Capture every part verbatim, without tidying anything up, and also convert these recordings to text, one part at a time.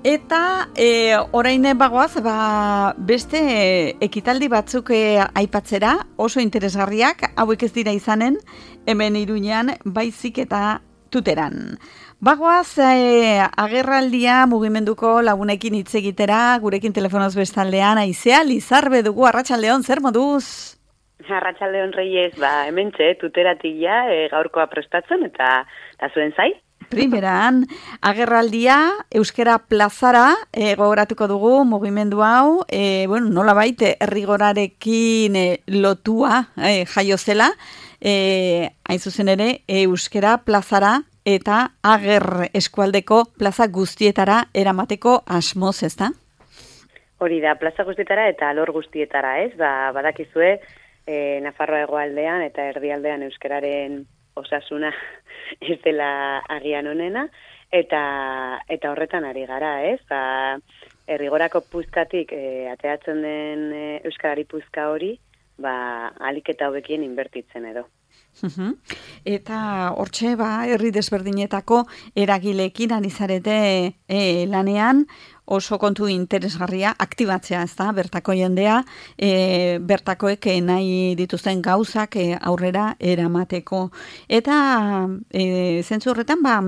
Eta e, orain bagoaz, ba, beste ekitaldi batzuk e, aipatzera, oso interesgarriak, hauek ez dira izanen, hemen Iruñean, baizik eta Tuteran. Bagoaz, e, agerraldia mugimenduko lagunekin hitz egitera, gurekin telefonoz bestaldean, Aizea Lizarbe dugu, arratsaldeon, zer moduz? Arratsaldeon Reyes, ba, hementxe, Tuteratia e, gaurkoa prestatzen, eta, eta zuen zai? Primeran, agerraldia Euskara Plazara e, gogoratuko dugu mugimendu hau, e, bueno, nola baite errigorarekin e, lotua e, jaio zela, e, hain zuzen ere Euskara Plazara eta ager eskualdeko plaza guztietara eramateko asmoz, ezta? Hori da, plaza guztietara eta alor guztietara, ez? Ba, badakizue, e, Nafarroa hegoaldean eta erdialdean euskararen osasuna ez dela agian onena, eta eta horretan ari gara, ez? Ba, errigorako puzkatik e, ateatzen den e, euskarari puzka hori, ba, alik eta hobekien inbertitzen edo. Uhum. Eta hortxe, ba, herri desberdinetako eragileekin ari zarete e, lanean, oso kontu interesgarria aktibatzea, ez da, bertako jendea, e, bertakoek nahi dituzten gauzak e, aurrera eramateko. Eta e, zentzu horretan, ba,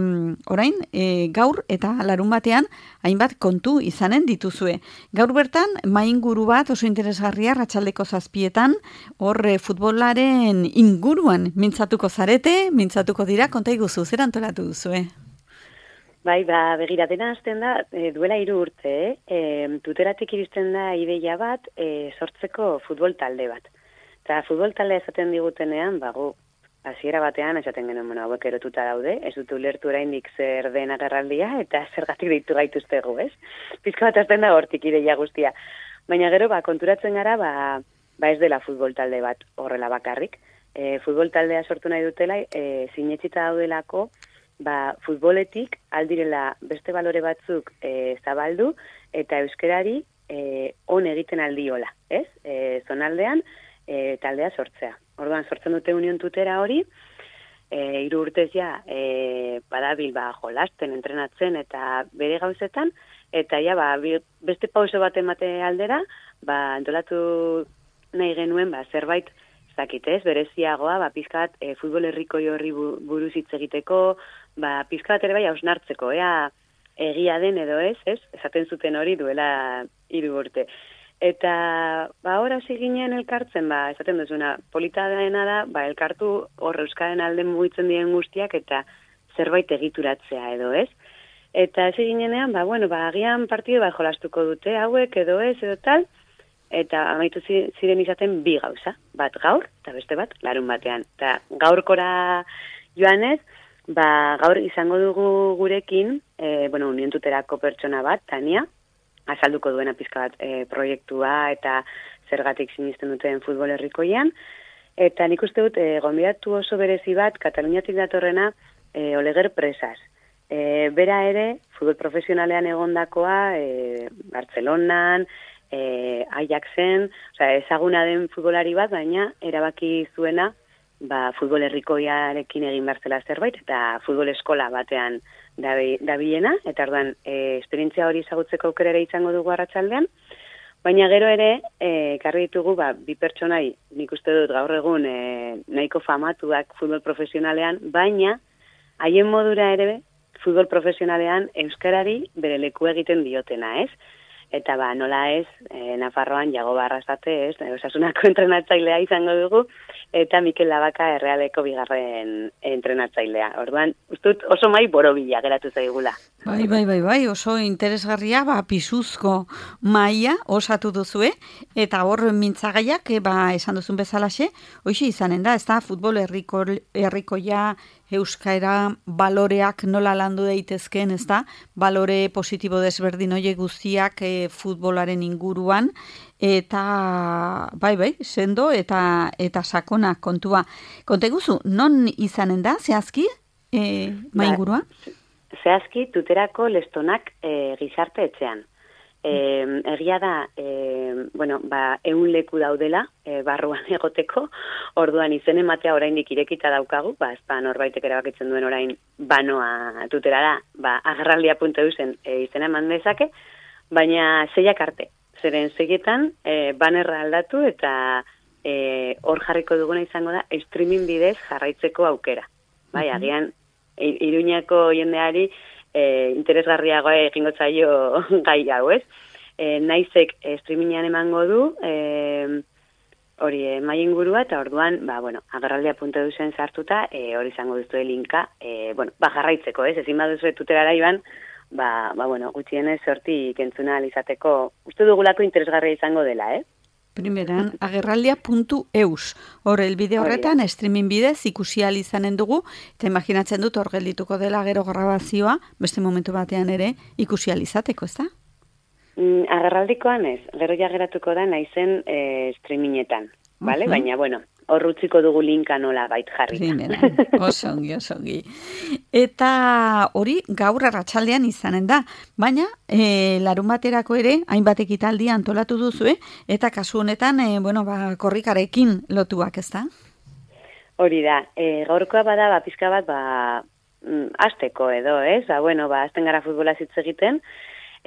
orain, e, gaur eta larun batean, hainbat kontu izanen dituzue. Gaur bertan, mainguru bat oso interesgarria, ratxaldeko zazpietan, hor e, futbolaren inguruan mintzatuko zarete, mintzatuko dira, konta iguzu, zer antolatu duzue? Bai, ba, begira, dena hasten da, e, duela hiru urte, e, Tuteratik iristen da ideia bat, e, sortzeko futbol talde bat. Eta futbol talde esaten digutenean, bagu, hasiera batean esaten genuen, bueno, hauek erotuta daude, ez dut ulertu oraindik zer den agerraldia, eta zergatik deitu gaituztegu, ez? Pizka bat hasten da hortik ideia guztia. Baina gero, ba, konturatzen gara, ba, ba ez dela futbol talde bat horrela bakarrik. E, futbol taldea sortu nahi dutela, e, sinetxita daudelako, ba, futboletik aldirela beste balore batzuk e, zabaldu eta euskerari e, on egiten aldiola, ez? E, zonaldean e, taldea sortzea. Orduan, sortzen dute Union Tutera hori, e, hiru urtez ja e, badabil ba, jolasten, entrenatzen eta bere gauzetan, eta ja, ba, beste pauso bat emate aldera, ba, antolatu nahi genuen ba, zerbait zakitez, bereziagoa, ba, pizkat e, futbol herriko horri buruz hitz egiteko, ba, pizkat ere bai hausnartzeko, ea egia den edo ez, ez? Esaten zuten hori duela hiru urte. Eta, ba, hor hasi ginen elkartzen, ba, esaten duzuna, polita dena da, ba, elkartu hor euskaren alden mugitzen diren guztiak eta zerbait egituratzea edo ez. Eta hasi ginenean, ba, bueno, ba, agian partidu ba, jolastuko dute hauek edo ez edo tal, eta amaitu ziren izaten bi gauza, bat gaur eta beste bat larun batean. Eta gaurkora joanez, ba, gaur izango dugu gurekin, e, bueno, Union Tuterako pertsona bat, Tania, azalduko duena pizka bat e, proiektua eta zergatik sinisten duten futbol herrikoian, eta nik uste dut, e, gonbidatu oso berezi bat, Kataluniatik datorrena, e, Oleger Presas. E, bera ere, futbol profesionalean egondakoa, e, Bartzelonan, E, Ajaxen, osea, ezaguna den futbolari bat, baina erabaki zuena ba, futbol herrikoiarekin egin berzela zerbait, eta futbol eskola batean dabilena, eta orduan e, esperientzia hori ezagutzeko aukera ere izango dugu arratsaldean, baina gero ere, ekarri e, ditugu ba, bi pertsonai, nik uste dut gaur egun e, nahiko famatuak futbol profesionalean, baina haien modura ere futbol profesionalean euskarari bere leku egiten diotena, ez? Eta ba, nola ez, e, Nafarroan Jago Barrasate, ez, osasunako entrenatzailea izango dugu, eta Mikel Labaka Errealeko bigarren entrenatzailea. Orduan, ustut oso mai borobila geratu zaigula. Bai, bai, bai, bai, oso interesgarria, ba, pisuzko maia osatu duzue, eta hor mintzagaiak, e, ba, esan duzun bezalaxe, hoxe izanen da, ez da, futbol herriko, herrikoia, euskara baloreak nola landu daitezkeen, ez da, balore positibo desberdin hoiek guztiak e, futbolaren inguruan, eta bai, bai, sendo eta eta sakona kontua. Konta guzu, non izanen da, zehazki, e, maingurua? Ba, zehazki, Tuterako Lestonak e, gizarte etxean. E, egia da, e, bueno, ba, eun leku daudela, e, barruan egoteko, orduan izen ematea oraindik irekita daukagu, ba, ez ba, norbaitek erabakitzen duen orain banoa tuterara, ba, agerraldia puntu eusen e, izena eman dezake, baina seiak arte, zeren seietan e, banerra aldatu eta e, hor jarriko duguna izango da streaming bidez jarraitzeko aukera. Bai, agian, Iruñako jendeari e, interesgarriagoa egingo zaio gai hau, ez? E, naizek e, streamingean emango du, e, hori e, mai ingurua, eta orduan, ba, bueno, agerraldia puntu eusen sartuta, e, hori izango duzue linka, e, bueno, ba, jarraitzeko, ez? Ezin baduzue tuterara iban, ba, ba, bueno, gutxienez sorti kentzuna alizateko, uste dugulako interesgarria izango dela, eh? Primeran, agerraldia puntu eus. Hor, elbide horretan, streaming bidez ikusi ahal izanen dugu, eta imaginatzen dut hor geldituko dela gero grabazioa, beste momentu batean ere, ikusi ahal izateko, ez da? Mm, agerraldikoan ez, gero ja geratuko da naizen e, streamingetan, vale? Uh-huh. Baina, bueno, hor utziko dugu linka nola bait jarri. Primeran, osongi, osongi. Eta hori gaur arratsaldean izanen da, baina e, larun baterako ere, hainbat ekitaldi antolatu duzu, eta kasu honetan, e, bueno, ba, korrikarekin lotuak, ez da? Hori da, e, gaurkoa bada, ba, pizka bat, ba, azteko edo, ez? Ba, bueno, ba, azten gara futbola hitz egiten,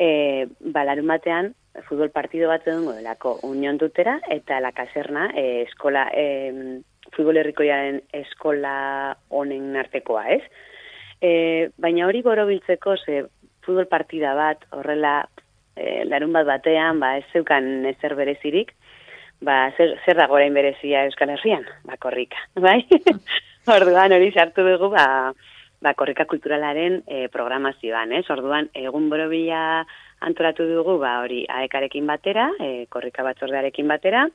e, ba, larun batean, futbol partido bat edungo delako Union Tutera, eta la Caserna, e, eskola, e, futbol herrikoiaren eskola honen artekoa, ez? E, baina hori borobiltzeko, ze futbol partida bat, horrela, e, larun bat batean, ba, ez zeukan ezer berezirik, ba, zer, zer dago orain berezia Euskal Herrian? Ba, korrika, bai? Orduan hori sartu dugu, ba, ba korrika kulturalaren e, programazioan, ez? Orduan, egun borobila antolatu dugu, ba, hori, aekarekin batera, e, korrika batzordearekin batera,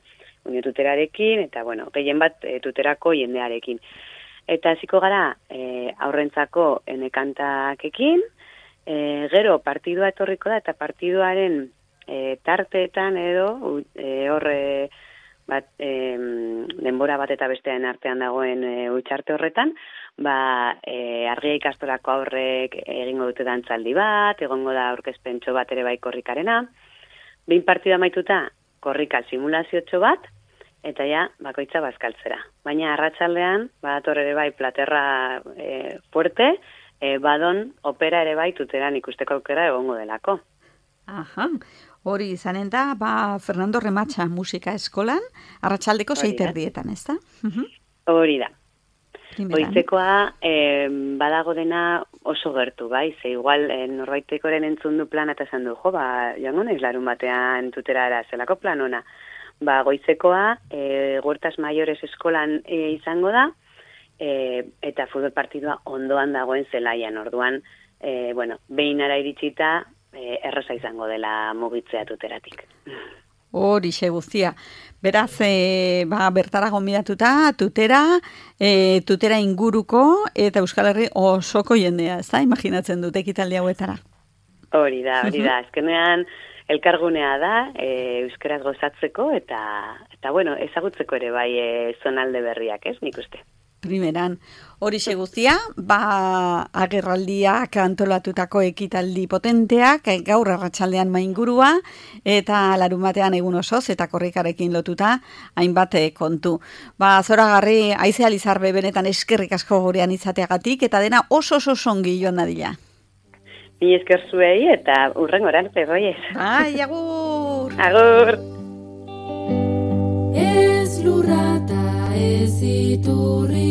Unio Tuterarekin, eta, bueno, gehien bat e, tuterako jendearekin. Eta hasiko gara, e, aurrentzako enekantakekin, e, gero partidua etorriko da, eta partiduaren e, tarteetan edo, e, horre, bat, e, denbora bat eta bestean artean dagoen e, utxarte horretan, ba, e, argia ikastolako aurrek egingo dute dantzaldi bat, egongo da aurkezpentxo bat ere bai korrikarena, behin partida maituta korrika simulaziotxo bat, eta ja, bakoitza bazkaltzera. Baina arratsaldean, badator ere bai platerra e, fuerte, e, badon opera ere bai tuteran ikusteko aukera egongo delako. Aha, hori izanen da, ba, Fernando Rematxa musika eskolan, arratsaldeko seiterdietan, ez da? Hori da. Goizekoa eh, badago dena oso gertu, bai? Ze igual eh, norbaitekoren entzun du plana eta esan du, jo, ba, joango naiz larun batean tuterara, zelako plan ona. Ba, goizekoa eh, Huertas Mayores eskolan eh, izango da, eh, eta futbol partidua ondoan dagoen zelaian, orduan, eh, bueno, behin ara iritsita, eh, erraza izango dela mugitzea tuteratik. Hori xe guztia. Beraz, e, ba, bertara gonbidatuta, tutera, e, tutera inguruko, eta Euskal Herri osoko jendea, ez da? Imaginatzen dut ekitaldi hauetara. Hori da, hori da. Azkenean, elkargunea da, e, euskaraz gozatzeko, eta, eta bueno, ezagutzeko ere bai e, zonalde berriak, ez, nik uste. Primeran, hori guztia, ba, agerraldiak antolatutako ekitaldi potenteak, gaur arratsaldean maingurua, eta larun batean egun osoz, eta korrikarekin lotuta, hainbat kontu. Ba, zoragarri, Aize Alizarbe benetan eskerrik asko gurean izateagatik, eta dena oso oso songi joan dadila. Ni esker zuei, eta urren goran, perroiez. Bai, agur! Agur! Ez lurrata ez iturria